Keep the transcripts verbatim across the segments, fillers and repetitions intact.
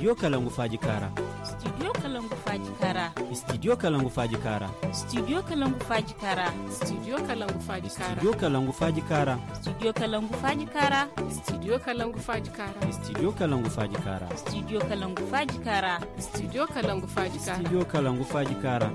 Studio Kalangu Faaji Kaara. Studio Kalangu Faaji Kaara. Studio Kalangu Faaji Kaara. Studio Kalangu Faaji Kaara. Studio Kalangu Faaji Kaara. Studio Kalangu Faaji Kaara. Studio Kalangu Faaji Kaara. Studio Kalangu Faaji Kaara. Studio Kalangu Faaji Kaara. Studio Kalangu Faaji Kaara. Studio Kalangu Faaji Kaara. Studio Kalangu Faaji Kaara.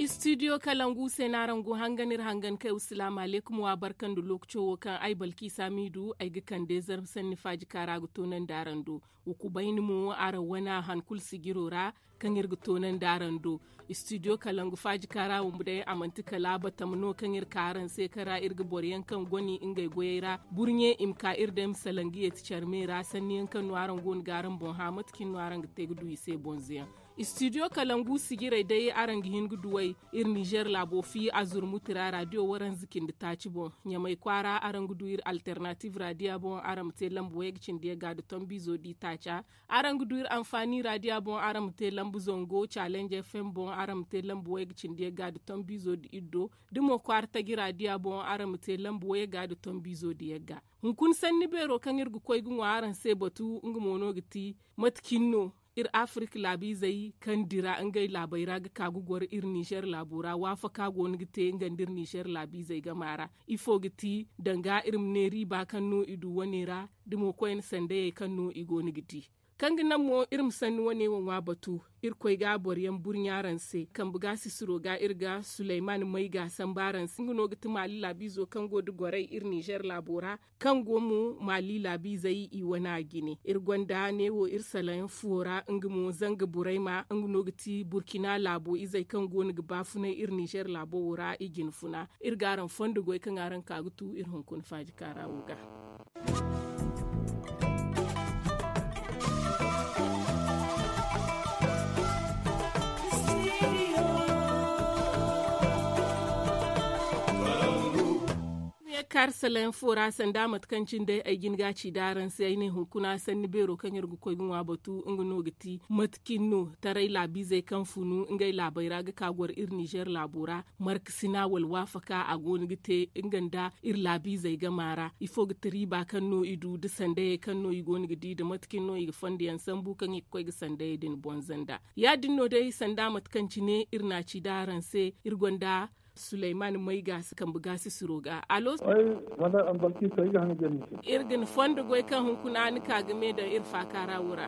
Studio Kalangu se no araŋ go hangan iri hangan kay. Salaamu alaykum, wa barka nda lookaco wo kaŋ ay Balkiisa Miidu ay ga kande zarma sanni faaji kaara ga toonandi araŋ do. Wa kubayni mo araŋ wana han kulu sijiro ra kaŋ iri ga toonandi araŋ do. Studio Kalangu faaji kaara wumbu day a manti kala batama no kaŋ iri ka araŋ se kaŋ ra iri ga boro yaŋ kaŋ goni ngey goyey ra burɲe i ma ka iri day ma salaŋ ga yeeti care me ra sanni yaŋ kaŋ no araŋ go no ga araŋ boŋ hã mate cine no araŋ ga te ga du i se bonzo yaŋ. Studio Kalangu sijirey day araŋ ga hin ga duw'ey iri Nizer laabo fi a zurmuti ra radio waranza cindi taaci boŋ. Ɲamay kwaara araŋ ga du iri alternatiiv radio boŋ araŋ ma te lambu wayga cindi yagga nda tombiizo di taaca. Araŋ ga du iri anfaani radio boŋ araŋ ma te lambu zango challenge f m boŋ araŋ ma te lambu wayga cindi yagga nda tombiizo di iddo. Da mo kwaara taji radio boŋ araŋ ma te lambu wayga nda tombiizo di yagga. Hunkuna sanni beero kaŋ iri ga koy ga ŋwa araŋ se batu nga mo no ga ti mate cine no iri afirka laabiizey kaŋ dira ngey laabey ra ga ka ga goro iri nizer laabo ra waafaka go no ga te nga nda iri nizer laabiizey gama ra. Ifo ga ti danga iri ma ne riiba kaŋ no i du wane ra da mo koyne sandayey kaŋ no i go no ga di. Kaŋ ga naŋ mo iri ma sanni wane wo ŋwa batu iri koy ga boro yaŋ burɲa araŋ se kambe ga sisiro ga iri ga suleyman may ga sambu araŋ se nga no ga ti maali laabiizo kaŋ go nda gorey iri nizer laabo ra kaŋ go mo maali laabiizey i wane a jine iri gonda neewo iri salaŋ fuwo ra nga mo zanga burayma nga no ga ti burkina laabo izey kaŋ go no ga baafunay iri nizer laabo wo ra i jine funa. Iri ga araŋ fondo goy kaŋ araŋ ka ga tu iri hunkuna faaji kaara wo ga. Kaari salayaŋ fo ra sanda mate kaŋ cine day ay jin ga ci da araŋ se ay ne hunkuna sanni beero kaŋ iri ga koy ga ŋwa batu nga no ga ti mate cine no taray laabiizey kaŋ funu ngey laabey ra ga ka goro iri nizer laabo ra markasina wala waafaka a go no ga te nga nda iri laabiizey gama ra ifo ga ti riiba kaŋ no i du nda sandayey kaŋ no i go no ga di nda mate cine no i ga fondo yaŋ sambu kaŋ i ga koy ga sandayey din bonza nda ya- din no day sanda mate kaŋ cine iri na ci da araŋ se iri gonda suleyman may ga si kambe ga si suro ga alo. Iri ga ni fondo goy kaŋ hunkuna ni ka ga me daŋ iri faaka ra wo ra.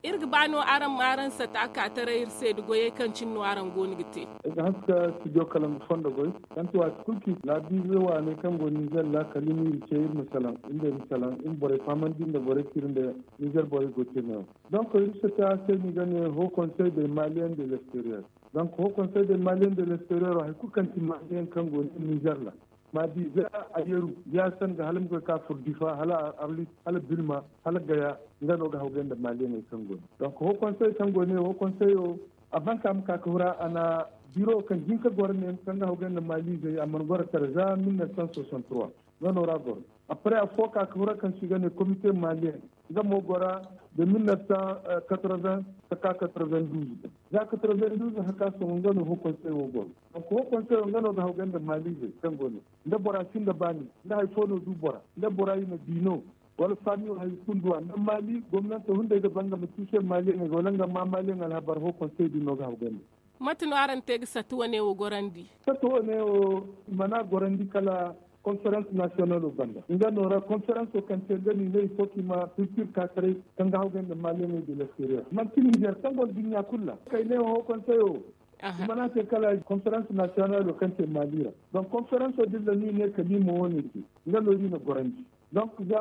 Iri ga ba no araŋ ma araŋ sata ka taray iri se nda goyey kaŋ cine no araŋ go no ga te. Iri ga haska studio kalangu fondo goy kaŋ ti waati kulu ci laabiize waaney kaŋ go nizer ra kala iri ma iri ce iri ma salaŋ iri ma salaŋ iri ma borey fahamandi nda borey tira nda nizer borey go te no yaŋ. Donc iri sata se no i ga ne haut conseil de maliens de l'extérieur. Donc haut conseil de maliens de l'extérieur hay kulu kaŋ ti maliens kaŋ go no nizer ra ma di za a yeru ya sanga hala ma koy ka furo difa hala arlit hala bilma hala gaya nga no ga hawgay nda maliens kaŋ go no. Donc haut conseil kaŋ go ne haut conseil o a ban ka ma ka ka hura a na biro kaŋ hin ka goro ne kaŋ ga hawgay nda maliens a mana goro kala za mille neuf cent soixante trois. Nga no ra goro. Après afo ka ka hura kaŋ se i ga ne comité malien nga mo gora de mille neuf cent quatre-vingts ka ka quatre-vingt-douze. Za quatre-vingt-douze haka sohõ nga no haut conseil wo goro. Donc haut conseil wo nga no ga hawgay nda maliens kaŋ go no nda bora sinda baani nda hari fo no du bora nda bora i na di no wala faami wo hari kunduwa nda mali gomnanto hunday ga ba nga ma tuuse maliens wala nga ma maliens alhabar haut conseil din no ga hawgay nda. Mate no araŋ te ga sata wane wo gorandi? Sata wane wo i mana gorandi kala conference national o banda nga no ra conference o kaŋ te nga no i ne ifo kaŋ i ma culture ka taray kaŋ ga hawgay nda maliens de l'extérieur manti nizer kaŋ go nda duɲɲa kulu ra kay ne wo haut conseil o i mana te kala conference national o kaŋ te mali ra. Donc conference o din ra no i ne kala i ma wane te nga no iri na gorandi. Donc za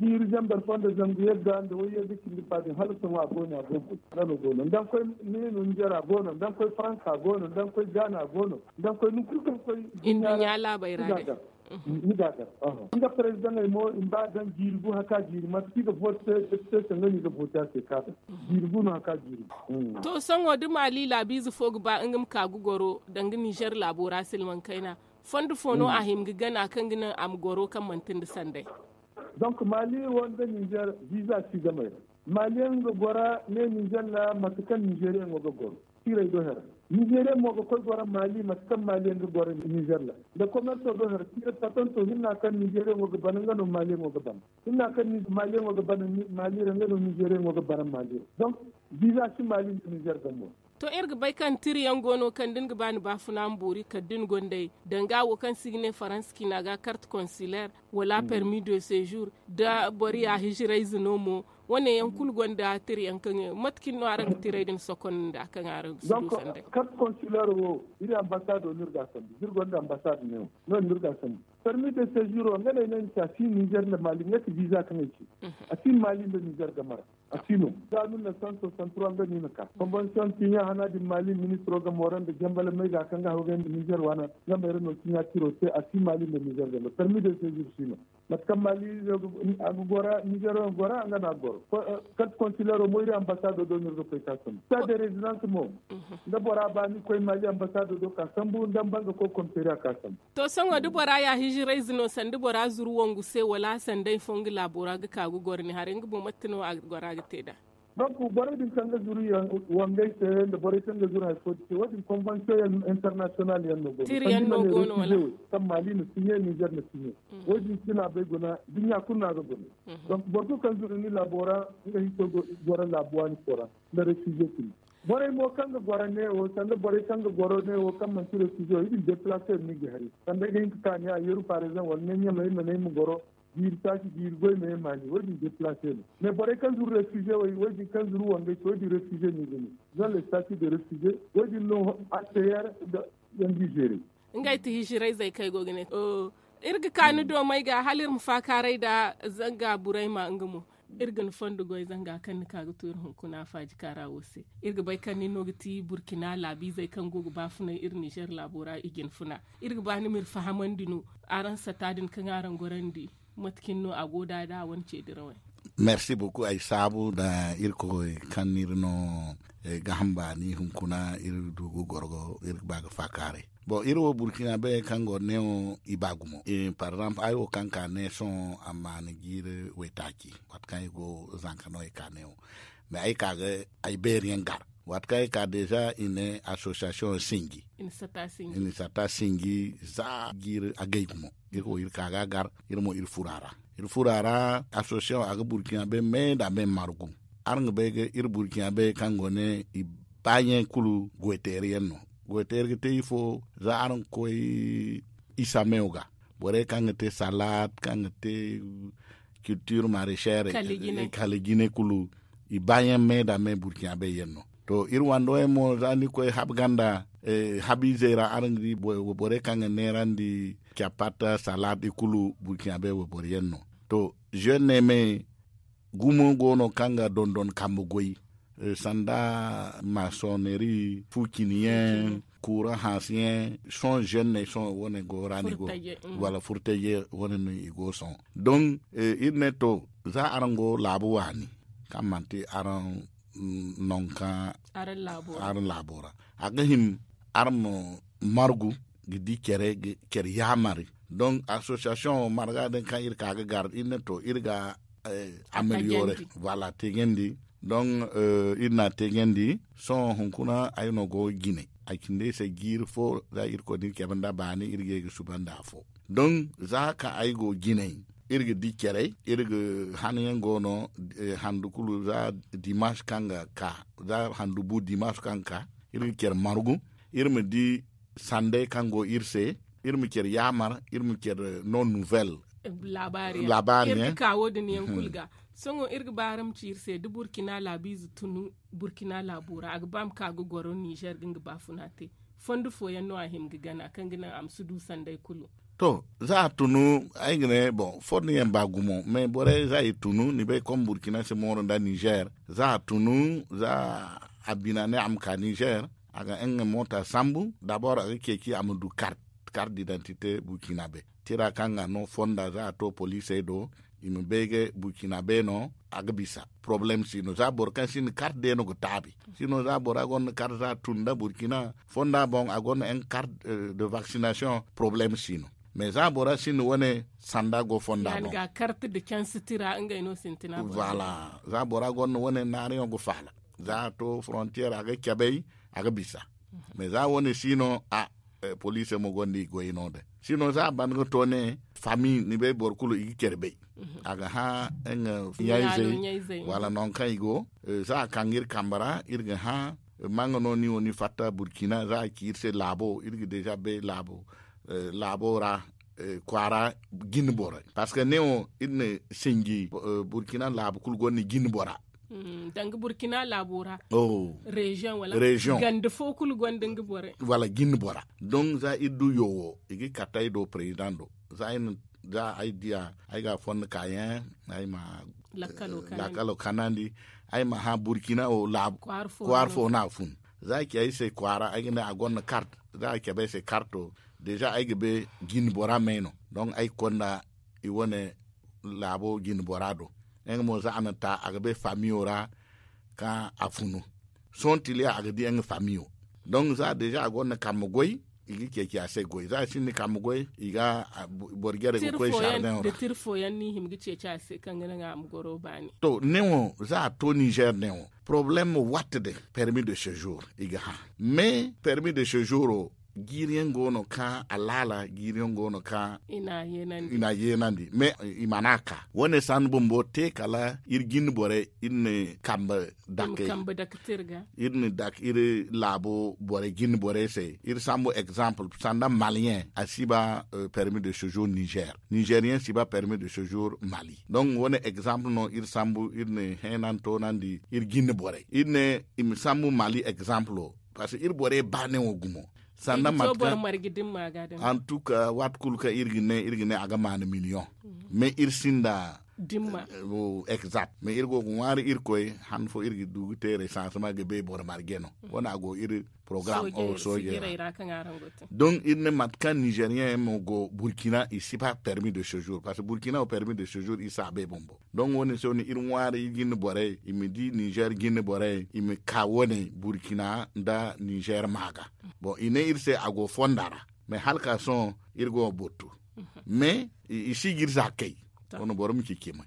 jiiri zambar fo nda zangu yagga nda way yagga cindi ba din hala sohõ a go no a go boy nga no go no nda ni koy ne no nizer a go no nda ni koy faransa a go no nda ni koy gaana a go no nda ni koy ni kulu kaŋ koy nduɲɲa laabey ra day. Ni ga gar nga prezidaŋey mo i ma ba daŋ jiiri gu haka jiiri mate kaŋ i ga vote se depite se nga no i ga vote a se ka daŋ jiiri gu no haka jiiri gu. To sohõ da maali laabiize fo ga ba nga ma ka ga goro danga nizer laabo ra silmaŋ kayna fondo fo no a hima ga gana kaŋ ga naŋ a ma goro kaŋ manti nda sanday. Donc mali wo nda nizer viza si gamey ra mali yaŋ ga gora ne nizer ra mate kaŋ nizeriyaŋo ga goro. Tiirey do here Nizeeriya mo ga koy goro maali mate kaŋ maaliyaŋ ga goro nizeer ra. Nda komerso do hari tiire patanto hinna kaŋ nizeeriyaŋo ga bana nga no maaliyaŋo ga bana. Hinna kaŋ maaliyaŋo ga bana maali ra nga no nizeeriyaŋo ga bana maali ra. Donk, biza si maali nda nizeer game ra. To, iri ga bay kaŋ tiriyaŋ go no kaŋ da ni ga ba ni baafuna ma boori kala da ni gonda ay danga wo kaŋ se i ga ne faransa ciina ga karte konsiler, wala permis de sejour, da boro ya hijirayze no mo. Wane yaŋ kulu gonda tirayaŋ kaŋ mate kaŋ no araŋ ga tiray din sokonda kaŋ araŋ ga si du sandey? Karte konsiler wo, iri ambasado no iri ga a sambu da iri gonda ambasado neewo, no iri ga a sambu. Permis de sejour wo nga no ay ne ni se a si nizeer nda maali nga ti biza kaŋ ay ci. A si maali nda nizeer game ra. A si no za mil neuf cent soixante trois nga no i na ka konvensiyoŋ tiɲa hana din maali ministiro game ra nda jambala may ga kaŋ ga hawgay nda nizeer waana. Nga may ra no tiɲa tiro te a si maali nda nizeer game ra permis de sejour si no. Mate kaŋ maali a ga gora nizeer wo gora nga no a ga goro. Karte konsilero mo iri ambasado do no iri ga koy ka sambu sa de rezidans mo. Nda bora ba ni koy maali ambasado do ka sambu nda banga koy komisariya ka sambu. To sohõ da bora ya hijirayze no sanda bora zuru wangu se wala sanda ay fo nga laabo ra ga ka ga goro ni haray nga boŋ mate no a ga gora ga te nd'a? Donk borey din kaŋ ga zuru wangey se nda borey kaŋ ga zuru hari fo din se wo- din konvensiyoŋ internasiyonal yaŋ no go no tiri yaŋ no go no wala? Kaŋ maali na siɲe nizer na siɲe. Wo- din si laabey guna duɲɲa kulu no a ga guna. Donk boro kulu kaŋ zuru ni laabo ra nga hinko goro laabu waani fo ra nda refize kulu. Borey mo kaŋ ga goro neewo sanda borey kaŋ ga goro neewo kaŋ manti refize wo i din deplase no i ga hari sanda ay ga hin ka ka ne a yeru par exemple wala ne ɲamay ma ne ay ma goro jiiri taaci jiiri goy ma ye maali wo- din deplase no. Mais borey kaŋ zuru refize wo- din kaŋ zuru wangey se wo- din refize no i ga ne zan le stati de refize wo- din no a teyer da yaŋ ga i zeere. Ngey ti hijirayzey kaŋ ay go ga ne. Iri ga ka ni do may ga hala iri ma faakaaray nda zanga burayma nga mo. Iri ga ni fondo goy zanga kaŋ ni ka ga tu iri hunkuna faaji kaara wo se. Iri ga bay kaŋ nin no ga ti burkina laabiizey kaŋ go ga baafunay iri nizer laabo ra i jina funa. Iri ga ba ni ma iri fahamandi no araŋ sata din kaŋ araŋ gorandi. Mate cine no a go da da wane ce dirawey? Merci beaucoup ay saabu nda irkoy kaŋ no iri no ga hamba ni hunkuna iri du ga goro ga iri ga ba ga faakaaray. Bon iri wo burkina bay kaŋ go neewo i ba gumo. Par exemple ay wo kaŋ ka ne sohõ a ma ni jiiri waytaaci waati kaŋ ay go zanka no ay ka neewo. Mais ay ka ga ay beeri yaŋ gar waati kaŋ ay ka deeza i ne asosiyasiyoŋ sinji. I na satta sinji za jiiri agay gumo. Iri ka ga a gar iri mo iri furo a ra. Iri furo a ra asosiyasiyoŋ a ga burkina bay me nda me margu. Araŋ ga bay ga iri burkina bay kaŋ go ne i baaɲey kulu goyteeri yaŋ no. Goyteeri ga te ifo za araŋ ga koy isa meewo ga borey kaŋ ga te salaat kaŋ ga te kiltir marecher kala jine kulu i baayaŋ me nda me burkina bay yaŋ no. To iri wando yaŋ mo za ni koy habu ganda habu izey ra araŋ ga di borey kaŋ ga neerandi capat salaat i kulu burkina bay wayboro yaŋ no. To zenne me gumo go no kaŋ ga dondon kambe goy sanda masoneri fu cini yaŋ kuuraŋ hanse yaŋ sohõ zenne sohõ wane go ra no i go wala furtaje wane no i go sohõ. Don iri ne to za araŋ go laabu waani kaŋ manti araŋ nonka araŋ laabo ra a ga hin araŋ ma margu ga di care care yaamari. Don asosiyasiyoŋ marga din kaŋ iri ka ga gar iri ne to iri ga ameliyore voilà tegandi. Don iri na a tegandi sohõ hunkuna ay no go jine a cindi ay se jiiri fo za iri koy da iri cabe nda baani iri ga ye ga suba nda afo. Don za kaŋ ay go jinay iri ga di carey iri ga hanayaŋ go no handu kulu za dimanche kaŋ ga ka za handu bu dimanche kaŋ ga ka iri ga care margu iri ma di sandey kaŋ go iri se iri ma care yaamar iri ma care no nouvelle laabaari yaŋ iri ga ka wo- din yaŋ kulu ga. Sohõ iri ga ba araŋ ma ci iri se da burkina laabiize tunu burkina laabo ra a ga ba ma ka ga goro nizer ga nga baafuna te fondo fooyaŋ no a hima ga gana kaŋ ga naŋ a ma si du sanday kulu. To za a tunu ay ga ne boŋ fondo yaŋ ba gumo mais borey za i tunu ni bay kaŋ burkina si mooru nda nizer za a tunu za a bina ne a ma ka nizer a ga nga moota sambu dabor a ga ceeci a ma du kart kart didantite burkina bay tira kaŋ ga no fonda za a to poliisey do i ma bay ga burkina bay no a ga bisa poroblem si no za boro kaŋ sinda kart day no ga taabi si no za bora gonda kart za a tun nda burkina fonda boŋ a gonda en kart de vaksinasiyoŋ poroblem si no. Mais za bora sinda wane sanda go fonda boŋ ga kart da canse tira ngey no sintina boŋ voilà za bora gonda wane naariyaŋ ga faala za a to forontiyer a ga cabay a ga bisa. Mais za wo- ne si no a poliisey mo gonda i goy no- din. Si no za a ban ga to ne, fami ni bay boro kulu i ga care bay. A ga hã nga ɲayzey wala nangu kaŋ i go. Za a kaŋ ga iri kambe ra iri ga hã, ma nga no ni wo ni fatta burkina za a ci iri se laabo iri ga deeza bay laabo ra, kwaara jine borey parceque ne wo iri na sinji burkina laabu kulu gonda jine bora. Danga burkina laabo ra reziyoŋ wala ganda fo kulu gonda nga borey wala jine bora. Don za iri du yo wo i ga kate ay do prezidaŋ do za ay diya ay ga a fondo kaayaŋ ay ma lakkalo kanandi ay ma hã burkina wo laabu kwaara fo no a fun. Za a ci ay se kwaara ay ga ne a gonda kart za a cabe ay se karto deeza ay ga bay jine bora may no. Don ay ga konda i wane laabo jine bora do nga mo za a na ta a ga bay famiyo ra kaŋ a funu sohõ tiliya a ga di nga famiyo. Don za deeza a gonda kambe goy i ga ceeci a se goy za a sinda kambe goy i ga boro jare ga koy sardin ra. Tiri fooyaŋ no i hima ga ceeci a se kaŋ ga naŋ a ma goro baani. To ne wo za a to nizer ne wo problème watte din permis de sejour i ga hã mais permis de sejour wo jiiri yaŋ go no kaŋ a laala jiiri yaŋ go no kaŋ i n'a yeenandi mais i mana ka wane sanni bumbo te kala iri jine borey iri na kambe dake iri na dake iri laabo borey jine borey se iri sambu exemple sanda maliyen a si ba permis de sejour nizer nizeriyen si ba permis de sejour mali. Donc wane exemple no iri sambu iri na heenan toonandi iri jine borey iri ne i ma sambu mali exemple parce que iri borey ba ne wo gumo sanda mate kaŋ en tout cas waati kulu kaŋ iri ga ne iri ga ne a ga maana million mais iri sinda exact mais iri go ga ŋwaari irkoy han fo iri ga du ga te resansement ga bay boro marje no wane a go iri programme o soojey ra. Donc iri ne mate kaŋ nizeriyen yaŋ mo go burkina i si ba permis de sejour parce que burkina wo permis de sejour iri si a bay bumbo donc wane se wane iri ŋwaari iri jinde borey i ma di nizer jinde borey i ma ka wane burkina nda nizer ma ga. Bon i ne iri se a go fonda ra mais hala ka sohõ iri go ga boro tu mais i si ga iri za kay wane boro ma ci cimay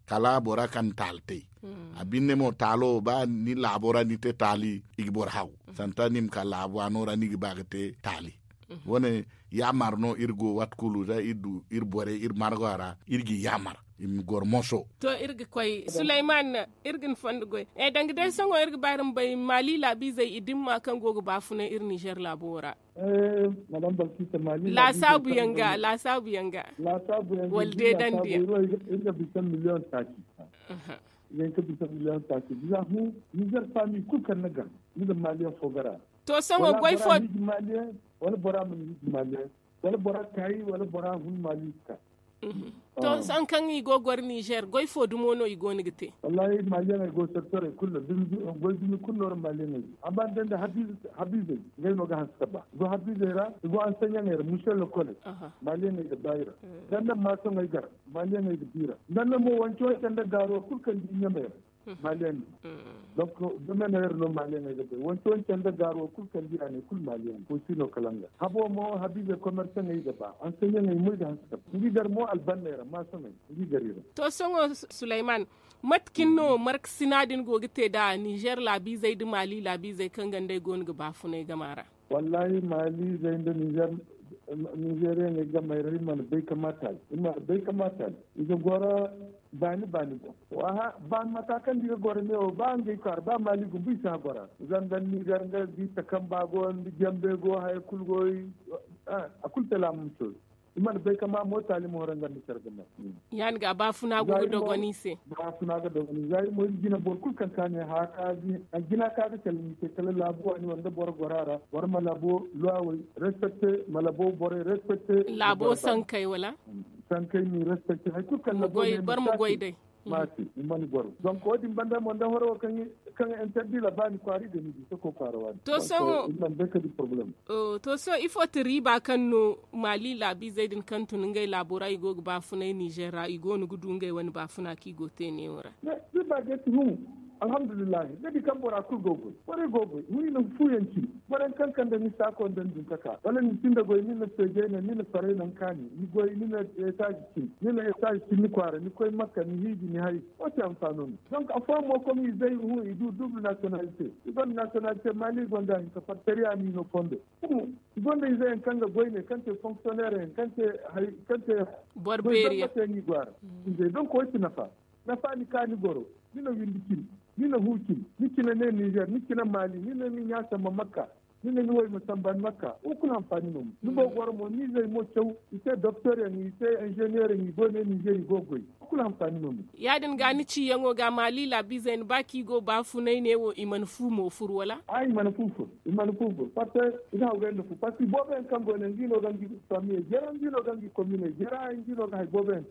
kala bora kaŋ taali te a binne mo taalo ba ni laabo ra ni te taali i ga boro haw santa ni ma ka laabo a no ra ni ga ba ga te taali. Wane yaamar no iri go waati kulu za iri du iri borey iri margo a ra iri ga yaamar i ma goro moso. To iri ga koy sulayman iri ga ni fondo goy danga day sohõ iri ga ba iri ma bay mali laabiizey i dimma kaŋ go ga baafunay iri nizer laabo wo ra. Laasaabu yaŋ ga laasaabu yaŋ ga wala deedandi yaŋ. Iri ga bisa miliyoŋ taaci. Iri ga bisa miliyoŋ taaci bisa hu nizer faami kulu kaŋ ni ga ni ga maliyaŋ fo gara. To sohõ goy fo wala bora mana hiji maliyaŋ wala bora kaayi wala bora hun mali ga ka. To sohõ kaŋ i go ga goro nizer goy fo dumo no i go no ga te? Wallaahi maliyaŋey go secteurey kulu ra goy dumi kulu no ra maliyaŋey go amma da nda habiizey ngey no ga hanse ka ba i go habiizey ra i go anseɲaŋey ra mise lokole. Maliyaŋey ga ba i ra da nda maasoŋey gar maliyaŋey ga ba i ra da nda mo wance wance nda gaaro kulu kaŋ di ɲamey ra. Maliyaŋ no donc domaine yer no maliyaŋey ga bay wance wance nda gaaro kulu kaŋ di a ne kulu maliyaŋ no koy si no kala nga habo mo habiize commerçaŋey ga ba anseɲaŋey mo i ga hanse ka ba ngi gar mo albanney ra maasoŋey ngi gar i ra. To sohõ sulayman mate cine no markasina din go ga te nda nizer laabiizey nda mali laabiizey kaŋ ganda i go no ga baafunay gama ra? Wallaahi mali zey nda nizer nizeeriyaŋey gamey ra i mana bay ka ma taali i mana bay ka ma taali i ga goro baani baani boŋ. Baani mata kaŋ da i ga goro neewo ba ngey kwaara ba mali gumbu i si a gora zanga nizer nga di takamba go nda jambe go haya kulu go. A kulu te laamu ma sooru i mana bay ka ma mo taali ma horo nga nda care ga ma. Ya- din ga baafuna go ga dogon i se. Baafuna ga dogon i se za i mo iri jina boro kulu kaŋ ka ne haka jina ka ga kala ni se kala laabu waani wala nda boro gora ra boro ma labo luwawey respecte ma labo borey respecte. Laabo sankey wala? Sankey ni respecte hari kulu kaŋ labo boro ma goy day. Maati i mana goro donc wo- din banda mo nda horo wo kaŋ interdit la ba ni kwaari ga ni di soko kwaara waani. To sohõ i mana bay ka di problème. To sohõ ifo ti riiba kaŋ no mali laabiizey din kaŋ tun ngey laabo ra i go ga baafunay nizer ra i go no ga du ngey wane baafuna kaŋ i go te neewo ra? Riiba ga ti hum. Alhamdulillahi, ni ga di kaŋ bora kulu go goy, borey go goy. Ni na fu yaŋ cine, boro yaŋ kaŋ kande ni saako nda ni dun ka ka, wala ni sinda goy, ni na feejey naŋ, ni na farey naŋ kaani, ni goy, ni na etaaz cine, ni na etaaz cine ni kwaara, ni koy makka, ni hiiji, ni hay. Wo ti anfaano no. Donc afooyaŋ mo, komi izey hu, i du dubul nasiyonalite, i gonda nasiyonalite maali, i gonda hinka fartariya ni no fondo. Kuma i gonda izey yaŋ kaŋ ga goy ne, kaŋ te fonksiyoneer yaŋ, kaŋ te hari kaŋ te boro beeri yaŋ. Izey donc wo ti nafa. Nafa ni ka ni goro, ni na windi cine, ni na hu cine, ni cine ne nizer, ni cine maali, ni ne ni ɲa samba makka, ni ne ni way ma samba ni makka, wo kulu hanfaani no. Ni go goro mo ni izey mo caw, i te doktor yaŋ, i te inzeneer yaŋ, i go ne nizer i go goy. Wo kulu hanfaani no. Ya- din ga ni ciyaŋo ga maali laabiizey ni ba kaŋ i go baafunay ne wo i mana fu mo furu wala? A i mana fu furu, i mana fu furu parce que i ga hawgay nda fu parce que i boobo yaŋ kaŋ go ne nga i no ga nga i famiye jera, nga i no ga nga i komine jera, nga i no ga hay boobo yaŋ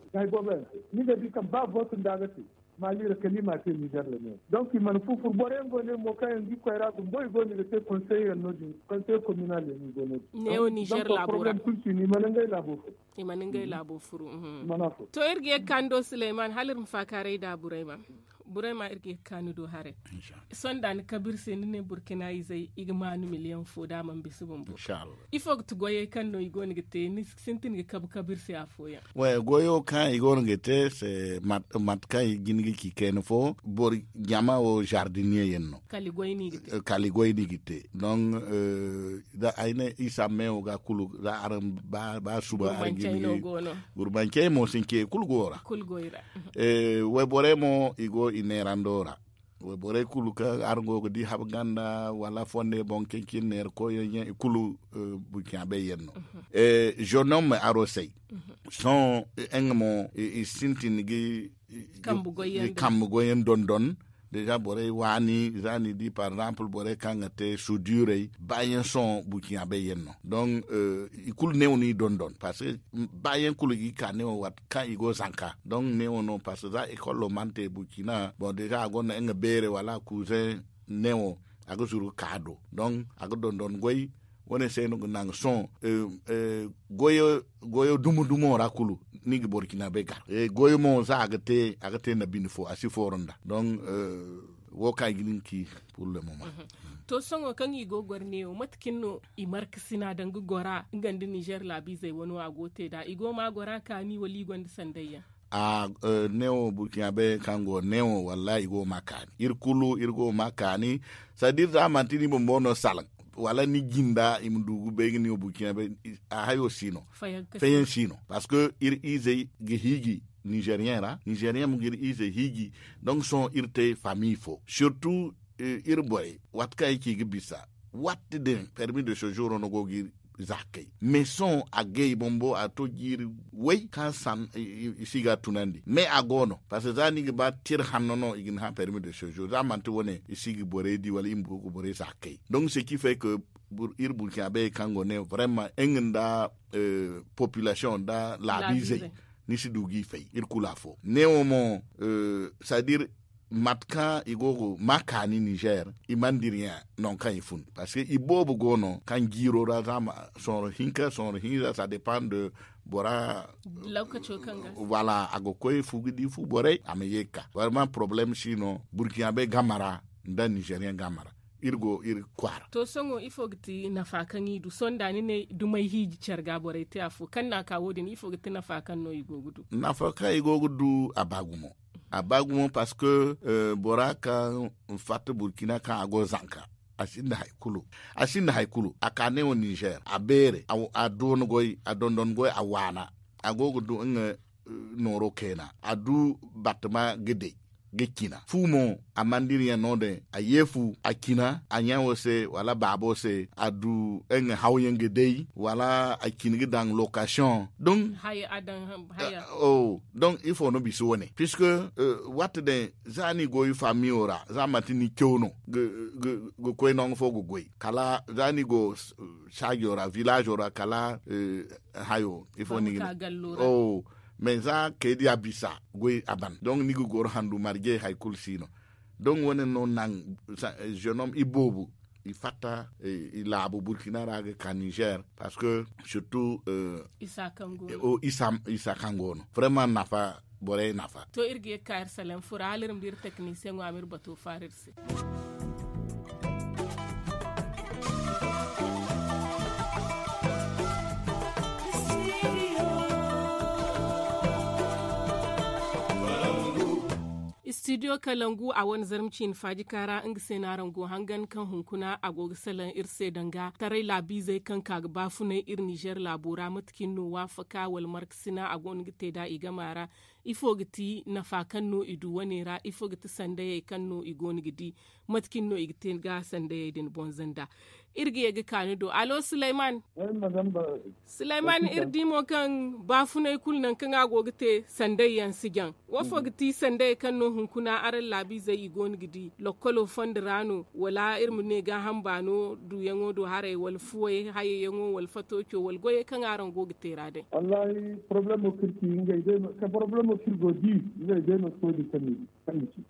te. Ni ga di kaŋ ba vote nda a ga te, maali ra kala i ma a te nizer ra ne. Donc i mana fu furu boro yaŋ go ne mo kaŋ yaŋ ga i koy ra gumbo i go no i ga te konsey yaŋ no- din konsey kominal yaŋ i go no- din ne wo nizer laabo ra. Kulu si no i mana ngey laabo furu. I mana ngey laabo furu. To iri ga ye ga kaani do suleyman hala iri ma faakaaray da burayma. Burayma iri ga ye ga kaani do haray. Sonda ni kabe iri se ni ne burkina izey i ga maanu miliyaŋ fo da a mana bisa bumbo. Ifo ga ti goyey kaŋ no i go no ga te ni sintin ga kabe kabe iri se afooyaŋ? Goyo kaŋ i go no ga te se, mate kaŋ i ga hin ga ci kayna fo boro jama wo zardiniye yaŋ no. Kala i goy no i ga te. Donk da ay ne isa meewo ga kulu za araŋ ba suba araŋ ga hin ga gurbancey mo since i kulu go ra. Wayborey mo i go i neerando ra. Wayborey kulu kaŋ araŋ go ga di habu ganda wala fonde boŋ kaŋ cine neera koyyaŋ yaŋ i kulu burkina bay yaŋ no. Zonom arosey sohõ nga mo i sintin ga kambe goyyaŋ dondon. Deja borey waani za ni di par exemple borey kaŋ ga te suduurey baayaŋ sohõ burkina bay yaŋ no. Donk i kulu neewo no i dondon parce que baayaŋ kulu ga i ka neewo waati kaŋ i go zanka donk neewo no parce que za ekolo mana te burkina boŋ deja a gonda nga beere wala kuuzeŋ neewo a ga zuru ga ka a do. Donk a ga dondon goy. Wo- ne se no ga naŋ sohõ goyo dumo dumo ra kulu ni ga burkina bay gar goyo mo za a ga te a ga te nda bine fo a si fooro nda donk wo kaŋ i ga nin ci. Pur le moment. To sohõ kaŋ i go ga goro neewo mate cine no i markasina danga gora nga nda nizer laabiizey wane wo a go ga te nd'a i go ma gora kaani wala i gonda sanday yaŋ? A neewo burkina bay kaŋ go neewo wallahi i go ma kaani iri kulu iri go ma kaani. Sadi iri za manti ni bumbo no salaŋ wala ni jinda i ma du ga bay ga ni wo burkina bay. A hayo si no. Fayaŋ si no parce que iri iizey ga hiiji nizeriyen ra nizeriyen mo ga iri iizey hiiji. Donk sohõ iri te famiye fo surtout iri borey waati kaŋ ay ci ga bisa waati din permis de sejour no go ga iri za ga kay mais sohõ a gay bumbo a to jiiri way kaŋ san i si ga a tunandi mais a go no parce que za ni ga ba tira hanno no i ga ni hã permis de sejour za manti wane i si ga borey di wala i ma go ga borey za ga kay. Donk se ci fay ka iri burkina bay kaŋ go ne vraiment nga nda population nda laabiizey ni si du g'i fay iri kulu afo neewo mo. C'est à dire mate kaŋ i go ga ma kaani nizer i mana dira yaŋ nangu kaŋ i fun parce que i boobo go no kaŋ jiiro ra za ma sohõ hinka sohõ hinza ça dépend de bora. Voilà a ga koy fu ga di fu borey a ma ye ga ka vraiment problème si no burkina bay game ra nda nizeriyen game ra. Iri go iri kwaara. To sohõ ifo ga ti nafa kaŋ i du sohõ da ni ne dumey hiiji care ga borey te afo kaŋ no a ka wo- din ifo ga ti nafa kaŋ no i go ga du? Nafa kaŋ i go ga du a ba gumo. A ba gumo parce que bora kaŋ fatta burkina kaŋ a go zanka a sinda hari kulu. A sinda hari kulu a ka neewo nizer a beere a doona goy a dondon goy a waana. A go ga du nga nooro keena a du battama ga day ga cina fu mo a mana dira yaŋ no- din a ye fu a cina a ɲa wo se wala baabo se a du nga hawyaŋ ga day wala a cina ga daŋ lokasiyoŋ. Donk ifo no bisa wane puisque waati din za ni go i famiyo ra za manti ni caw no ga koy nangu fo ga goy kala za ni go saajo ra villazo ra kala hayo ifo ni ga ne. Mais za kay diya bisa goy a ban donk ni ga goro handu marje hari kulu si no. Donk wane no naŋ jeune homme i boobo i fatta i laabu burkina ra ga ka nizer parce que surtout isa kaŋ go no vraiment nafa Borey naafa. To iri ga ye ga ka iri salaŋ fura hala iri ma di iri teknisiyeŋo a ma iri bato faara iri se. Istidiyo kalangu a wane zarma ciini faaji kaara nga se no araŋ go hangan kaŋ hunkuna a go ga salaŋ iri se danga taray laabiizey kaŋ ka ga baafunay iri nizer laabo ra mate cine no waafaka wala markasina a go no ga te nd'a i gama ra? Ifo ga ti nafa kaŋ no i du wane ra? Ifo ga ti sandayey kaŋ no i go no ga di? Mate cine no i ga te ga sandayey din bonza nd'a? Iri ga ye ga ka ni do alo suleyman. Suleyman iri di mo kaŋ baafunay kulu nangu kaŋ a go ga te sanday yaŋ si jaŋ. Wo fo ga ti sanday kaŋ no hunkuna araŋ laabiizey i go no ga di lokkolo fondo ra no wala iri ma ne gaaham baano duuyaŋo do haray wala fuwey hayayaŋo wala fatooco wala goyey kaŋ araŋ go ga te ra day? Wallahi porobalemo kaŋ iri ci ngey day no ka porobalemo kaŋ iri go ga di ngey day no si koy din kaŋ ni ci.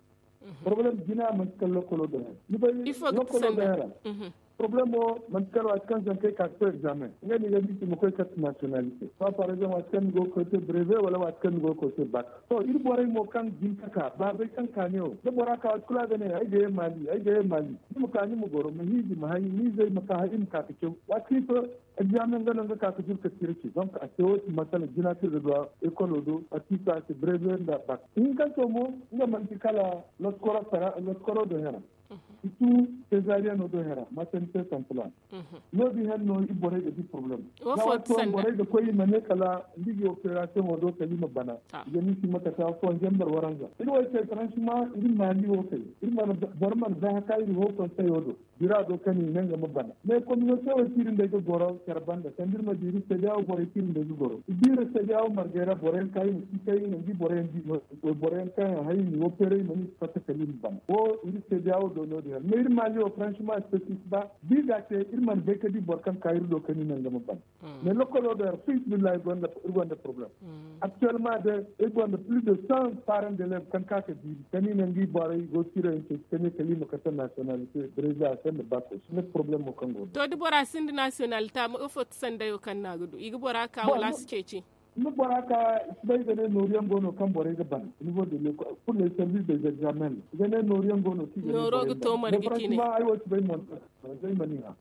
Porobalem jina manti kala lokkolo do hera ni bay lokkolo do hera. Porobalemo manti kala waati kaŋ zankey ka ga koy egzaamen ngey no i ga bisa i ma koy karte nasiyonalite ba par exemple waati kaŋ ni go ga koy te breve wala waati kaŋ ni go ga koy te bak. To iri borey mo kaŋ jin ka ka baabey kaŋ ka ne wo da bora ka waati kulu a ga ne ay ga ye maali ay ga ye maali. Ni ma ka ni ma goro ma hiiji ma hay ni izey ma ka hala i ma ka ga caw waati kaŋ i to. Egzaamen nga no nga ka ga juru ka tira ci donk a te wo- din masala jina kaŋ iri ga du a ekolo do waati kaŋ i to a se breve nda bak. Ihinkanto mo nga manti kala loskoro do hera. I tu sezariyano do hera masanite santalan. No- din hane no iri borey ga di porobalem. Za waati fooyaŋ borey ga koy i ma ne kala nda i ga operasiyoŋo do kala i ma bana. I ga ni si ma kate afooyaŋ zambar waranza iri wo ay se faransima iri maali wo kay. Boro mana bay haka iri ho konseyo do bira do kaŋ i ne nga ma bana mais kominote wo iri nda ay ga goro care banda sanda iri ma di iri seedeya wo borey kaŋ iri nda ay ga goro i di iri seedeya wo margey ra borey yaŋ kaŋ i ma si kay nangu i borey yaŋ di no. Wayboro yaŋ kaŋ yaŋ hay i ma wo peeray i ma ni si fatta kala i ma bana wo iri seedeya wo do no- din yaŋ mais iri maali wo faransima spesifik ba da i ga a te iri mana bay ka di boro kaŋ ka iri do kaŋ i ne nga ma bana. Mais lokolo do iri fi sabilillahi iri gonda porobalem. Aktuwelma de iri gonda plis de san paran de lev kaŋ ka ka diiri kaŋ i ne nga i borey go ga tira yaŋ ceeci kaŋ ne kala i ma kate nasiyonalite brezil a se nda bako si ne porobalemo kaŋ go no. To da bora sinda nasiyonalite a ma ifo ti sandayo kaŋ no a ga du i ga bora ka wala a si ceeci? Ni bora ka i si bay i ga ne nooru yaŋ go no kaŋ borey ga bana nivo de lekol pur les services des examens i ga ne nooru yaŋ go no kaŋ i ga ne borey ga bana. Ay wo si bay monta. Zay ma ni hã.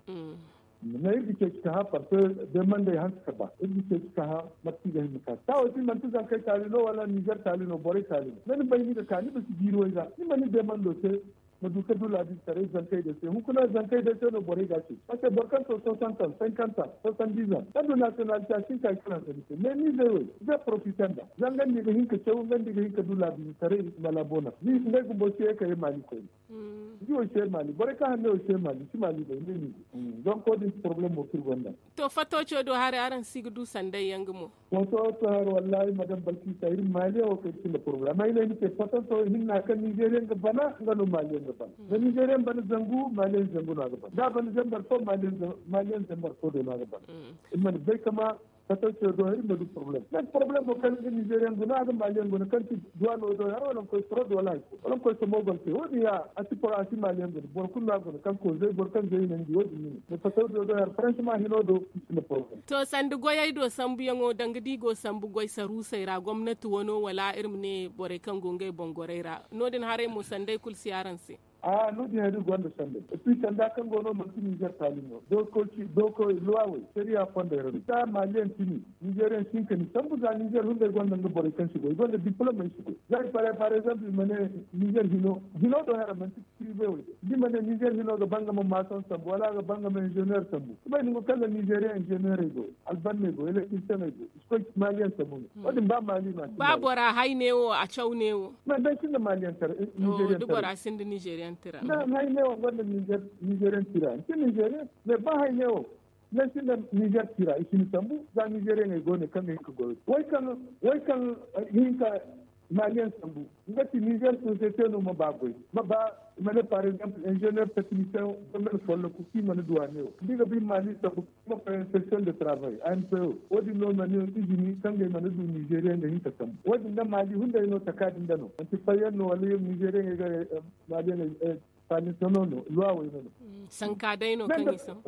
Mais iri ga ceeci ka hã parce que demandey hanse ka ba iri ga ceeci ka hã mate kaŋ i ga hin ma ka taawo si manti zankey taali no wala nizer taali no borey taali no da ni bay ni ga ka ni ma si jiiri wayza ni ma ni demando te. Ma du ka du laabiizetaray zankey day se hunkuna zankey day se no borey ga a ceeci parce que boro kaŋ to soixante ans cinquante ans soixante dix ans kaŋ du nasiyonalite a si hin ka i kala nda ni se mais nizer wey i ga profite nda za nga nda i ga hin ka caw nga nda i ga hin ka du laabiizetaray i ma laabo nafa ni ngey bumbo si ye ka ye maali koyne. Ni wo se maali borey kaŋ hanney wo se maali si maali bay ne ni. Donk wo- din ti porobalem mo kaŋ iri gonda. To fattooco do haray araŋ si ga du sanday yaŋ ga mo. Fattooco haray wallahi madame balkisa iri maaliyaŋ wo kaŋ iri sinda porobalem amma ay ne ni se fattooco hinna kaŋ nizeriyaŋ ga bana nga no maaliyaŋ ga bana da nizeriyaŋ bana zangu maaliyaŋ zangu no a ga bana da a bana zambar fo maaliyaŋ zambar fo do no a ga bana. Iri mana bay kama fattooco do iri ma du porobalem mais porobalem mo kaŋ ga nizeriyaŋ guna a ga maaliyaŋ guna kaŋ ti duwano do hara wala nga koy sorod wala hari fo wala nga koy somogol te wo- din ya a si poro a si maaliyaŋ guna boro kulu no a guna kaŋ koozey boro kaŋ zey nandi wo- din ni ne mais fattooco do hara faransima hino do i sinda porobalem. To sanda goyey do sambuyaŋo danga da i go sambu goy saruusey ra gomnati wano wala iri ma ne borey kaŋ go ngey boŋ gorey ra no- din haray mo sanday kulu si araŋ se. A no- din hari iri gonda sanday et puis sanda kaŋ go no manti nizer taali no dokoki dokoy luwawey sariya fondey ra no ita maaliyaŋ tini. Nizer yaŋ si hin ka ni sambu za nizer hunday gonda nga borey kaŋ si goy i gonda diplomey si goy za i pare par exemple i ma ne nizer hino hino do hera manti prive wey da i ma ne nizer hino ga ba nga ma mason sambu wala a ga ba nga ma ingenieur sambu i bay ni go kaŋ nda nizer yaŋ ingenieur ey go albanney go électricien ey go i si koy maaliyaŋ sambu no wo- din ba maali no a si ba bora hay ne wo a caw ne wo. Mais day sinda maaliyaŋ tara nizer yaŋ tara da bora sinda nizer yaŋ tara. Hay ne wo gonda nizer yaŋ tira ni si nizer yaŋ mais ba hay ne wo. Nanti nda nizer tira i si ni sambu za nizer yaŋey go ne kaŋ ga hin ka goyo way kaŋ way kaŋ ga hin ka maaliyaŋ sambu. Nga ti nizer sosiyete no ma ba goy ma ba i ma ne par exemple ingenieur teknisiyeŋ domaine folloku kaŋ i mana duwa ne wo da i ga ba i ma maali sambu i ma koy inspeksiyoŋ de travay a n p o wo- din no i ma ne izini kaŋ ga i mana du nizeriyaŋ ga hin ka sambu wo- din nda maali hunday no taka din da no manti fayyaŋ no wala nizer yaŋey ga maaliyaŋey palintono no luwawey no no. Sanka day no kaŋ i sambu.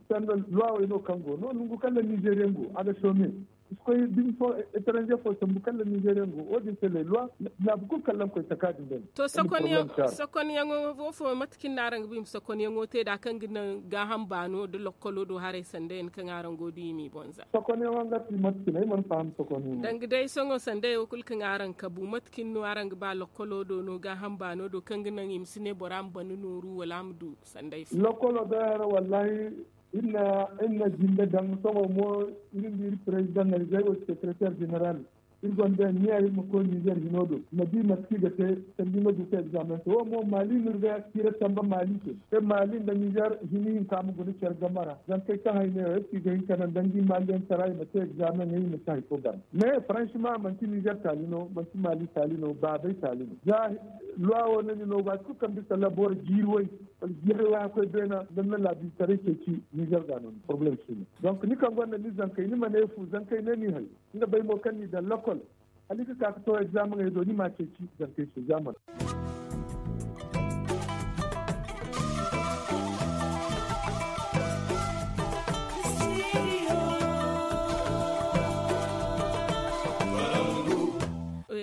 Sanda luwawey no kaŋ go no nungu kaŋ nda nizeriyaŋ go a ga some. I si koy binde fo, etranger fo sambu kala nizeriyaŋ go wo- din se lay loi. Laabu kulu kala araŋ koy taka din day. To, sokonyaŋo wo fo mate kaŋ ni na araŋ ga ba i ma sokonyaŋo te nd'a kaŋ ga naŋ gaaham baano nda lokkolo do haray sanda yaŋ kaŋ araŋ go ga di i m'i boŋ za? Sokonyaŋo nga ti mate kaŋ ay mana faham sokonyaŋo. Danga day sohõ sanda yaŋ wo kulu kaŋ araŋ kabu mate kaŋ no araŋ ga ba lokkolo do no gaaham baano do kaŋ ga naŋ i ma si ne bora ma bana nooru wala a ma du sanda ay fo? Lokkolo day hara wallahi. Iri na jinde daŋ sohõ mo. Iri nda iri perezidaŋ ay zay wo sekreteer jeneral. Iri gonda niya iri ma koy nizer hino do ma di mate kaŋ i ga te sanda i ma du ka egzaamen se wo mo mali no iri ga tira tamba mali se. Te mali nda nizer hini hinka ma guna care game ra zama kay kaŋ hay ne wo ay si ga hin ka naŋ danga i maliyaŋ tara i ma te egzaamen ŋey i ma si hari fo gana. Mais franchement manti nizer taali no manti mali taali no baabay taali no za. Luwa wo no ni no waati kulu kaŋ bisa labor jiiri way wala jiiri way a koy beena da ni na laabiize taray ceeci nizer ga no ni problème si no. Donc ni kaŋ gonda ni zankey ni ma ne fu zankey ne ni hay nga bay mo kaŋ ni daŋ lokol hala i ga ka ga to egzaameŋey do ni ma a ceeci zankey se za mana.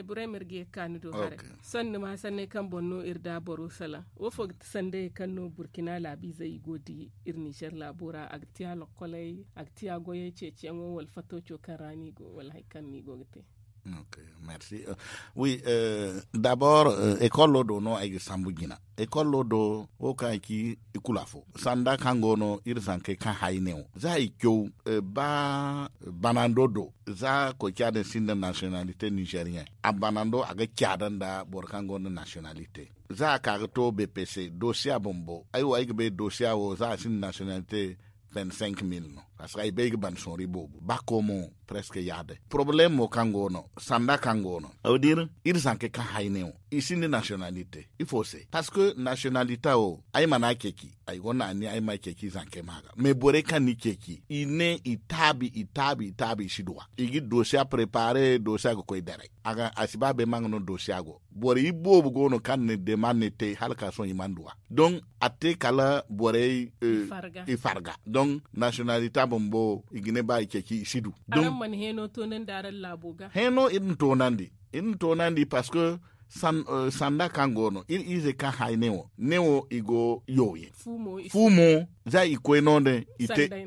Burey ma iri ga ye ga ka ni do haray. Sohõ ni ma sanney kaŋ boŋ no iri da boro salaŋ wo fo ga ti sandayey kaŋ no burkina laabiizey i go ga di iri nizer laabo ra a ga ti a lokkoley a ga ti a goyey ceeciyaŋo wala fatooco kaŋ ra no i go wala hari kaŋ no i go ga te. Wi dabor ekolo do no ay ga sambu jina. Ekolo do wo kaŋ ay ci i kulu afo sanda kaŋ go no iri zankey kaŋ hay ne wo za i caw ba banando do za koy ca din sinda nasiyonalite nizeriyen a banando a ga caada nda boro kaŋ gonda nasiyonalite za a ka ga to bpc dosiya bumbo ay wo ay ga bay dosiya wo za a sinda nasiyonalite. Vingt cinq mille no parce que ay bay ga ban sonri boobo ba komo presque yaade problème wo kaŋ go no sanda kaŋ go no aw dir iri zanke kaŋ hayne wo i sinda nasiyonalite ifo se parce que nasiyonalite wo ay mana ceci ay gonda anniya ay ma ceci zanke ma ga mais borey kaŋ ni ceci i ne i taabi i taabi i taabi i si duwa i ga dosiya prepare dosiya ga koy daray a si ba bay ma nga no dosiya go borey boobo go no kaŋ na demande te hala ka sohõ i mana duwa donc a te kala borey i farga donc nasiyonalita bumbo i ga ne ba i ceci i si du. Araŋ mana heno tonandi araŋ laabo ga heno iri na tonandi iri na tonandi parce que sanda kaŋ go no iri ize kaŋ hay ne wo ne wo i go yow ye fu mo za i koy no din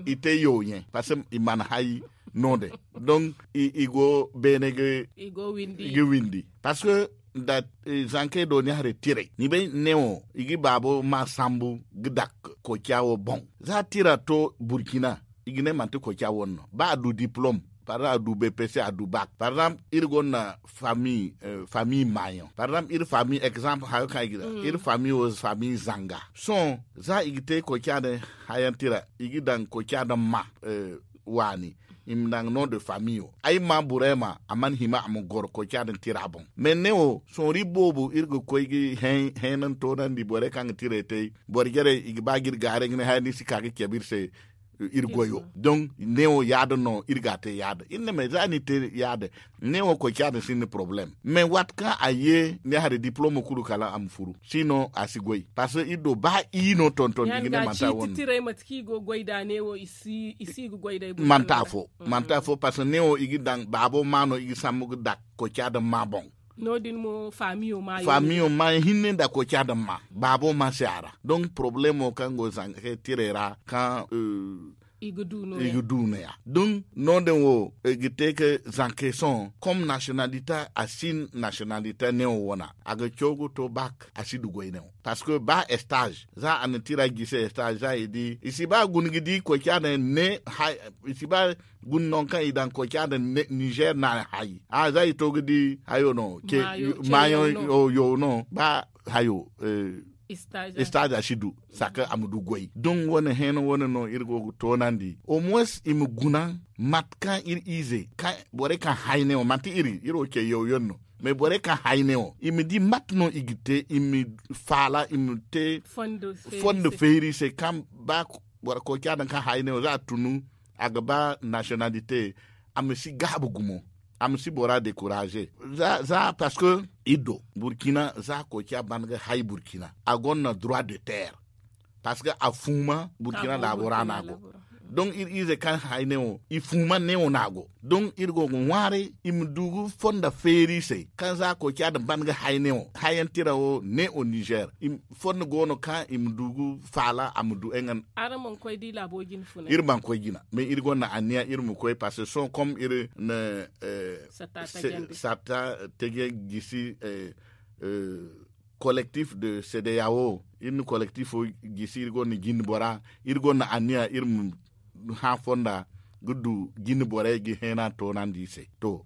i te yow ye parce que i mana hay no din donc i go beene ga windi parce que da zankey do ni hare tiray ni bay ne wo i ga baabo ma sambu ga dak koca wo boŋ za tira to burkina i ga ne manti koca wo no ba a du diplom par exemple a du bpc a du bak par exemple iri gonda famille famille mayon par exemple iri famille exemple hayo kaŋ i ga da iri famille wo famille zanga sohõ za i ga te koca din hayan tira i ga daŋ koca din ma waani i ma naŋ no de famiyo ay ma burema a mana hima a ma goro koy ca din tira boŋ mais ne wo sonri boobo iri ga koy ga henan tonandi borey kaŋ ga tiray te boro jarey i ga ba ga iri gaaray ga ne haya ni si ka ga cabe iri se iri goyo donc ne wo yaada no iri ga te yaada iri ne mais za ni te yaada ne wo koy ca din sinda problème mais waati kaŋ a ye ne hari diplome kulu kala a ma furu si no a si goy parce que iri do ba i no tonton i ga ne manta wo no manta fo manta fo parce que ne wo i ga daŋ baabo ma no i ga sambu ga dak koy ca din ma boŋ no- din mo famiyo ma famiyo ma hinne da koy ca din ma baabo ma se a ra donc problemo kaŋ go zanka tiray ra kaŋ i ga du no- ya donc no- din wo i ga te ka zanke sohõ comme nasiyonalita a sin nasiyonalita ne wo wana a ga caw ga to bak a si du goy ne wo parce que ba estage za a na tira gise estage za i di i si ba guna ga di koy ca din ne i si ba guna no kaŋ i daŋ koy ca din niger na hay a za i to ga di hayo no mayo yo no ba hayo stage a si du saka a ma du goy don wane heno wane no iri go ga tonandi au moins i ma guna mate kaŋ iri ize borey kaŋ hayne wo manti iri iri wo ce yawyaŋ no mais borey kaŋ hayne wo i ma di mate no i ga te i ma faala i ma te fondo feeri se kaŋ ba boro koy ca daŋ kaŋ hayne wo za a tunu a ga ba nasiyonalite a ma si gaabu gumo a ma si bora dekuraze za parce que iri do burkina za koy ca ban ga hay burkina a gonda droit de terre parce que a fuuma burkina laabo ra no a go Don iri ize kaŋ hayne wo i fuuman ne wo no a go. Don iri go ga ŋwaaray i ma du ga fonda feeri i se kaŋ za a koy ciya nda ban ga hayne wo hayan tira wo ne o nizer. Fonda go no kaŋ i ma du ga faala a ma du nga. Iri mana koy jina mais iri gonda anniya iri ma koy parce que sohõ comme iri na satta teje gisi collectif de cdao iri na collectif wo gisi iri gonda jinde bora iri gonda anniya iri ma hã fonda ga du jinde borey ga heena toonandi i se to.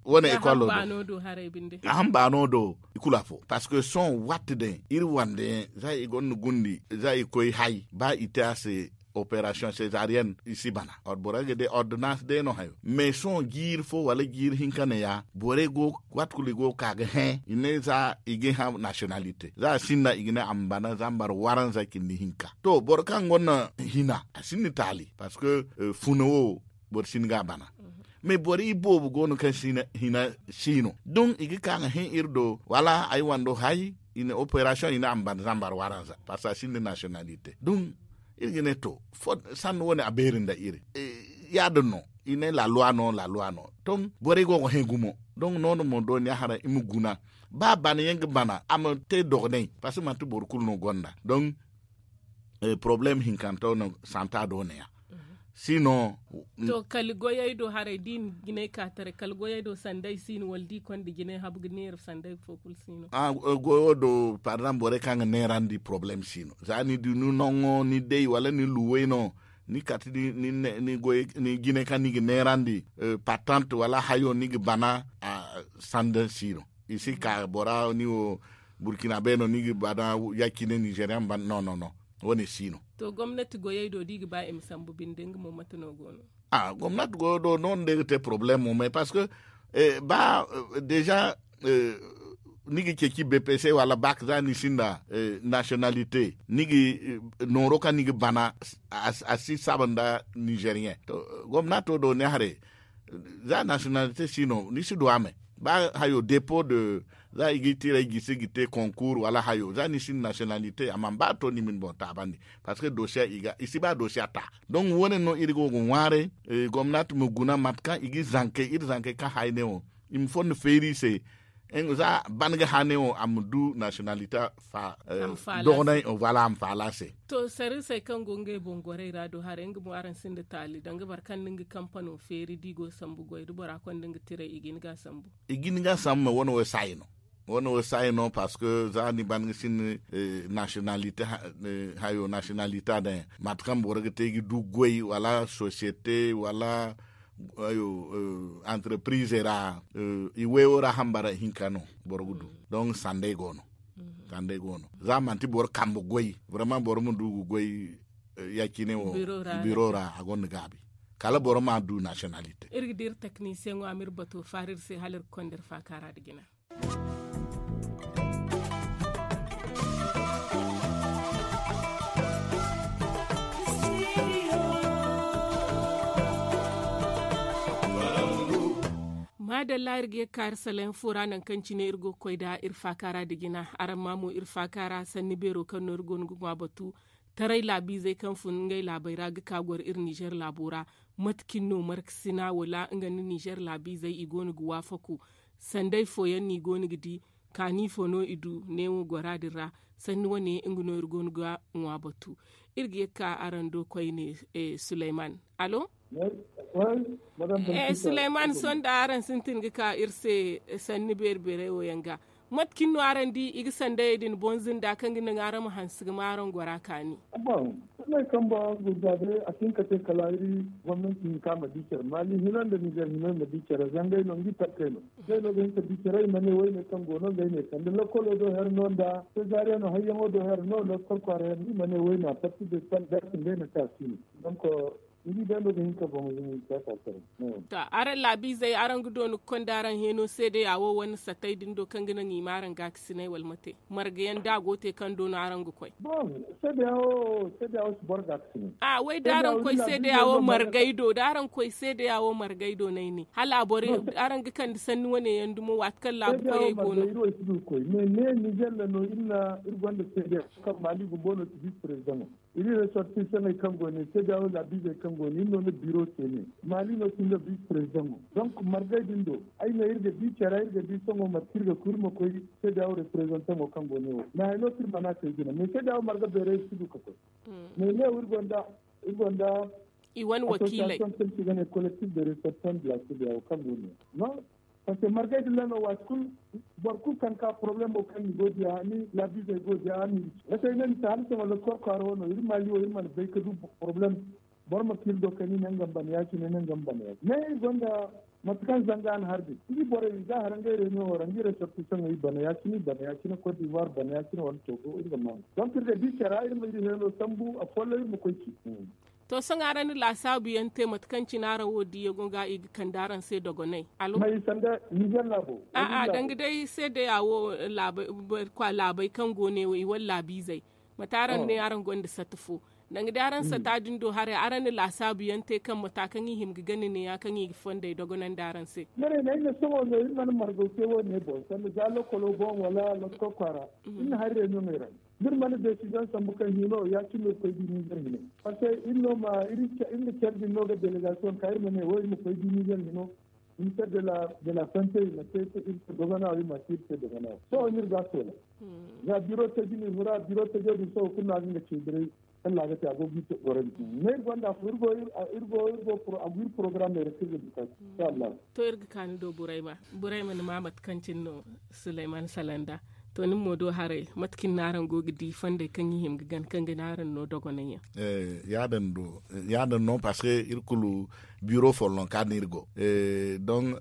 Wane ekolo do a hamba no do i kulu afo parce que sohõ waati day iri wande yaŋ za i gonda gundi za i koy hay ba i te a se operation cesarienne i si bana. Boro ga day ordonnance day no hayo mais sohõ jiiri fo wala jiiri hinka ne ya borey go waati kulu i go ga ka ga hẽ i ne za i ga hã nationalité za a sinda i ga ne a ma bana zambar waranza cindi hinka. To boro kaŋ gonda hina a sinda taali parce que funa wo boro si hin ga a bana. Mais boro iboobo go no kaŋ si hina si no don i ga ka ga hẽ iri do wala ay wando hay i na operation i na a ma bana zambar waranza parce que a sinda nationalité don iri ga ne to sanni wane a beeri nda iri. Ya- din no i ne laluwa no laluwa no ton borey go ga hẽ gumo. Don noodin mo dooniya haray i ma guna ba bana yaŋ ga bana a ma te dogonay parce que manti boro kulu no gonda don problème hinkanta no santa do ne ya. Si no to kala goyey do haray da i na jinay ka taray kala goyey do sanday si no wala da i konda jinay habu ga neera sanday fo kulu si no. Goyo do par exemple borey kaŋ ga neerandi problème si no za ni du ni noŋo ni day wala ni luwey no ni kati ni goy ni jine kaŋ ni ga neerandi patante wala hayo ni ga bana sanda si no. I si ka bora ni wo burkina be no ni ga bana ya cine nigerian ban no no no. Wane si no. To gomnati goyey do da i ga ba i ma sambu binde nga mo mate no go no? Gomnati goyo do no no day ga te problème mo mais parce que ba déjà ni ga ceeci bpc wala bak za ni sinda nationalité ni ga nooro kaŋ ni ga bana a si saba nda nigerien. To gomnato do ne haray za nationalité si no ni si du a me ba hayo dépôt de za i ga tiray gisi ga te concours wala hayo za ni sinda nationalité a mana ba to ni ma ni boŋ taabandi. Parce que dossier i si ba dossier ta donc wane no iri go ga ŋwaaray gomnati ma guna mate kaŋ i ga zankey iri zankey kaŋ hayne wo i ma fondo feeri i se. Za ban ga hane wo a ma du nationalité fa dogonay wala a ma faala se. To sariisey kaŋ go ngey boŋ gorey ra do haray nga mo araŋ sinda taali danga boro kaŋ nda nga kampano feeri da i go sambu goy da bora konda nga tiray i ga hin ga sambu. I ga hin ga sambu ma wane wo saayi no. Wane wo saayi no parce que za ni ban ga sinda nationalité hayo nationalité a daŋ yaŋ mate kaŋ boro ga te ga du goy wala société wala entreprise ra i wayo ra hambara hinka no boro ga du. Donc sanday go no. Sanday go no za manti boro kambe goy vraiment boro ma du ga goy ya cine wo biro ra a gonda gaabi kala boro ma du nationalité. Iri ga dira technicien ŋwa ma iri bato faari iri se hala iri ga konda iri faaka ra nda jina. Maadalla iri ga ye ga ka iri salayaŋ fo ra nangu kaŋ cine iri go ga koy nda iri faaka ra nda jina araŋ ma mo iri faaka ra sanni beero kaŋ no iri go no ga ŋwa batu. Taray laabiizey kaŋ fun ngey laabey ra ga ka goro iri nizer laabo ra. Mate cine no markasina wala nga nda nizer laabiizey i go no ga waafaku? Sanday fooyaŋ no i go no ga di? Kaani fo no i du neewo gora din ra? Sanni wane nga no iri go no ga ŋwa batu. Iri ga ye ga ka araŋ do koyne suleyman. Allo. Suleyman sohõ da araŋ sintin ga ka iri se sanni beeri beerey wo yaŋ ga. Mate cine no araŋ di i ga sandayey din boŋ zinda kaŋ ga naŋ araŋ ma hanse ga ma araŋ gora kaani? Bon, sohõ kambo gurza day a si hin ka te kala iri gomnanti hinka ma di care maali hino nda nizer hino ma di care zangey no nga i talkey no. Ngey no ga hin ka di care i ma ne woyne kaŋ go no ngey ne sanda lokolo do her no nda sezariyano hayyaŋo do her no lokol kwaara her no i ma ne woyne a parti de sal garsi ngey no ka si no. Donc ni di day no ga hin ka boŋ zumi siyasa care. To araŋ laabiizey araŋ ga doona ga konda araŋ heno seedeya wo wane satay din do kaŋ ga naŋ i ma araŋ gaakasinay wala mate? Marga yaŋ da a go te kaŋ do no araŋ ga koy? Bon, seedeya wo seedeya wo si boro gaakasinay. A way da araŋ koy seedeya wo margay do da araŋ koy seedeya wo margay do no ay ne hala a boro araŋ ga kande sanni wane yaŋ dumo waati kaŋ laabu koyey go no. Iri wo si du ga koy mais ne nizer ra no iri na iri gonda seedeya kaŋ maali bumbo no si vice président. Iri resortisaŋey kaŋ go ne seedeyawo laabiizey kaŋ go ne iri no na biro se ne, maali no sinda biisi perezidaŋo. Donk margay din do ay ne iri ga di care iri ga di sohõ mate kaŋ iri ga koy iri ma koy seedeyawo reperezantaŋo kaŋ go ne wo. Mais hari no kaŋ iri mana te jina mais seedeyawo marga beerey iri si du ga koy. Mais ne wo iri gonda iri gonda i wane wakiiley. Association kaŋ se i ga ne kolektif de resortisaŋ de la seedeyawo kaŋ go ne. Parce que margay din ra no waati kulu boro kulu kaŋ ka porobalemo kaŋ ni go diya ni laabiizey go diya ni. Wate ay ne ni ta hala sohõ lokkol kwaara wo no iri maali wo iri mana bay ga du porobalem. Boro ma kiiri do kaŋ ni ne nga ma bana ya- cine ne nga ma bana ya- cine ne iri gonda mate kaŋ zanga a na har din iri borey za hara ngey reunion wo ra nga iri resortisaŋey bana ya- cine iri bana ya- cine kot divoire bana ya- cine wala togo iri ga maa. Donk iri ga di care ra iri ma iri heeno sambu a folloŋ iri ma koy ci. To sohõ araŋ na laasaabu yaŋ te mate kaŋ cine araŋ wo diyaŋo ga i ga kande araŋ se dogonay? Alo. May sanda nizer laabo? A'a danga day seedeya wo laabay kaŋ go ne wo i wala laabiizey? Mate araŋ ne araŋ gonda sata fo? Danga day araŋ sata din do haray araŋ na laasaabu yaŋ te kaŋ mata kaŋ i hima ga gana ne ya kaŋ i ga fondey dogonandi araŋ se? Maray no ay ne sohõ no iri mana margaw te wo- ne boŋ sanda za lokolo boŋ wala lokkol kwaara. Iri na hari reunion ey ra. Da iri mana desiziyoŋ sambu kaŋ hino ya- cine no iri koy di nizer hino. Parce que iri no ma iri na care din no ga delegasiyoŋ ka iri ma ne wo iri ma koy di nizer hino. Minister de la sante i ma te iri se doganawa i ma te iri se doganawa sohõ no iri ga a soola. Za biro taji no iri hura biro tajo din sohõ kulu no a ga nga ceebiray. Kaŋ no a ga te a go ga iri gorandi mais iri gonda afo iri go iri go iri go a go iri porogaramey ra kaŋ iri ga bukata. Inshallah. To iri ga ka ni do burayma burayma ni ma mate kaŋ cine no suleyman salanda. To ni mo do haray mate kaŋ ni no araŋ go ga di fondey kaŋ i hima ga gana kaŋ ga ne araŋ no dogonay yaŋ? Ya- din no parce que iri kulu biro folloŋ ka din iri go. Don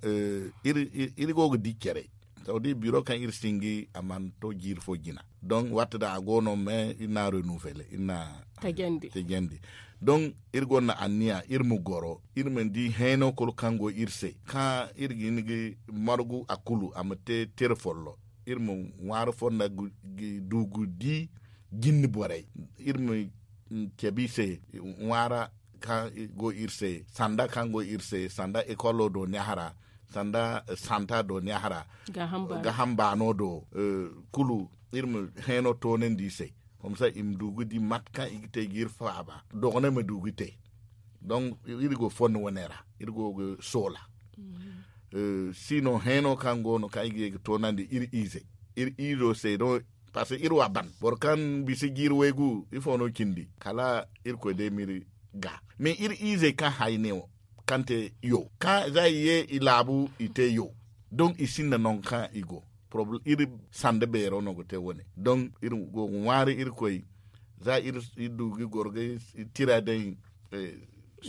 iri go ga di care. To da iri biro kaŋ iri singi a mana to jiiri fo jina. Don waati da a go no mais iri na renouveler iri na tajandi. Don iri gonda anniya iri ma goro iri ma di heeno kulu kaŋ go iri se kaŋ iri ga hin ga margu a kulu a ma te tira follo. Iri ma ŋwaari fonda ga du ga di jinni borey. Iri ma cabe i se ŋwaara kaŋ go iri se sanda kaŋ go iri se sanda ekolo do neehara sanda santa do neehara. Ga hamba no do kulu iri ma heeno toonandi i se. Komsa i ma du ga di mate kaŋ i ga te ga iri faaba dogonay ma du ga te. Donk iri go fondo wane ra iri go ga soola. Sino heeno kaŋ go no kaŋ i ga ye ga toonandi iri ize iri izo se no. Parce que iri wa ban boro kaŋ bisa jiiri waygu ifo no cindi kala irkoy day ma iri ga. Mais iri izey kaŋ hay ne wo kaŋ te yo kaŋ za i ye i laabu i te yo. Donk i sinda nangu kaŋ i go iri sanda beero no ga te wane donk iri go ga ŋwaari irkoy. Za iri du ga goro ga tira day.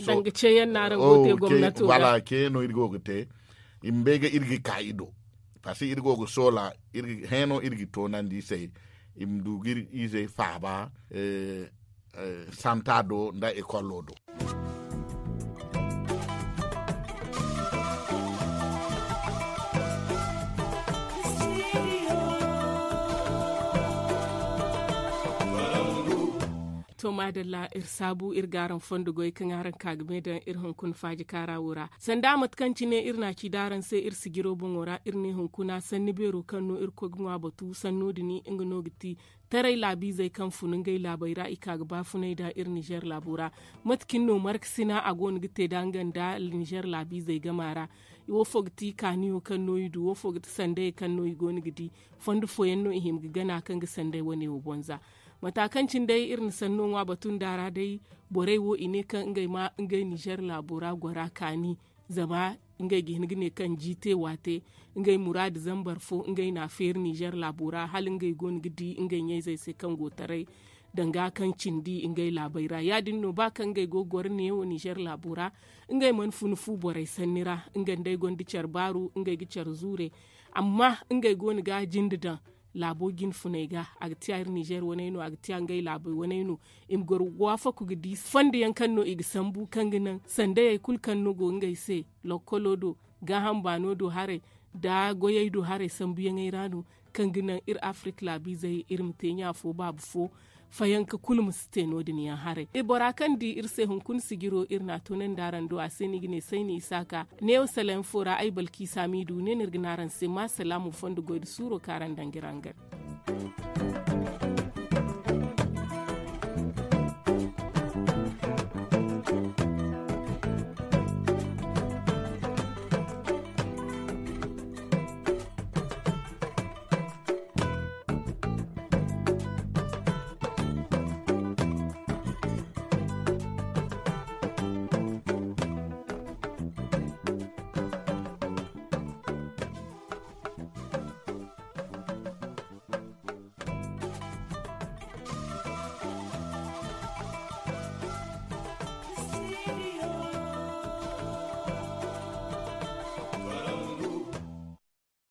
Danga ceeyaŋ no araŋ go ga te gomnato ga wala ceeyaŋ no iri go ga te. I ma bay ga iri ga ka i do. Parce que iri go ga soola heeno iri ga toonandi i se i ma du ga iri izey faaba santa do nda ekolo do. To maadalla iri saabu iri ga araŋ fondo goy kaŋ araŋ ka ga me daŋ iri hunkuna faaji kaara wo ra sanda mate kaŋ cine iri na a ci da araŋ se iri sijiro boŋo ra iri ne hunkuna sanni beero kaŋ no iri koy ga ŋwa batu sanno din nga no ga ti taray laabiizey kaŋ fun ngey laabey ra i ka ga baafunay da iri nizer laabo ra. Mate cine no markasina a go no ga te da nga nda nizer laabiizey gama ra? Wo fo ga ti kaaniyo kaŋ no i du wo fo ga ti sandayey kaŋ no i go no ga di? Fondo fooyaŋ no i hima ga gana kaŋ ga sanday wane wo boŋ za. Mata kaŋ cine day iri na sanno ŋwa batu nda ra day borey wo i ne kaŋ ngey ma ngey nizer laabo ra gora kaani. Zama ngey ga hin ga ne kaŋ ji te waate ngey muraadu zambar fo ngey na a feeri nizer laabo ra hala ngey go no ga di ngey ɲayzey se kaŋ go taray. Danga kaŋ cindi ngey laabey ra ya- din no ba kaŋ ngey go ga goro neewo nizer laabo ra ngey mana funa fu borey sanni ra. Nga nda ay gonda care baaru ngey ga care zuure. Amma ngey go no ga a jinde daŋ laabo jine funey ga a ga tiya iri nizer waney no a ga tiya ngey laabey waney no. I ma goro ga waafaku ga di fondo yaŋ kaŋ no i ga sambu kaŋ ga naŋ sandayey kulu kaŋ no go ngey se lokkolo do gaaham baano do haray nda goyey do haray sambuyaŋey ra no kaŋ ga naŋ iri afirik laabiizey iri ma te ɲa fo baaba fo. Fayanka kulu ma si te no- din yaŋ haray bora kaŋ di iri se hunkuna sijiro iri na a toonandi araŋ do a se no i ga ne sayni isaaka. Neewo sala yaŋ fo ra ay balki saamiidu ne no iri ga ne araŋ se ma salaamu fondo goy nda suuro kaŋ araŋ daŋ ga iri hangan.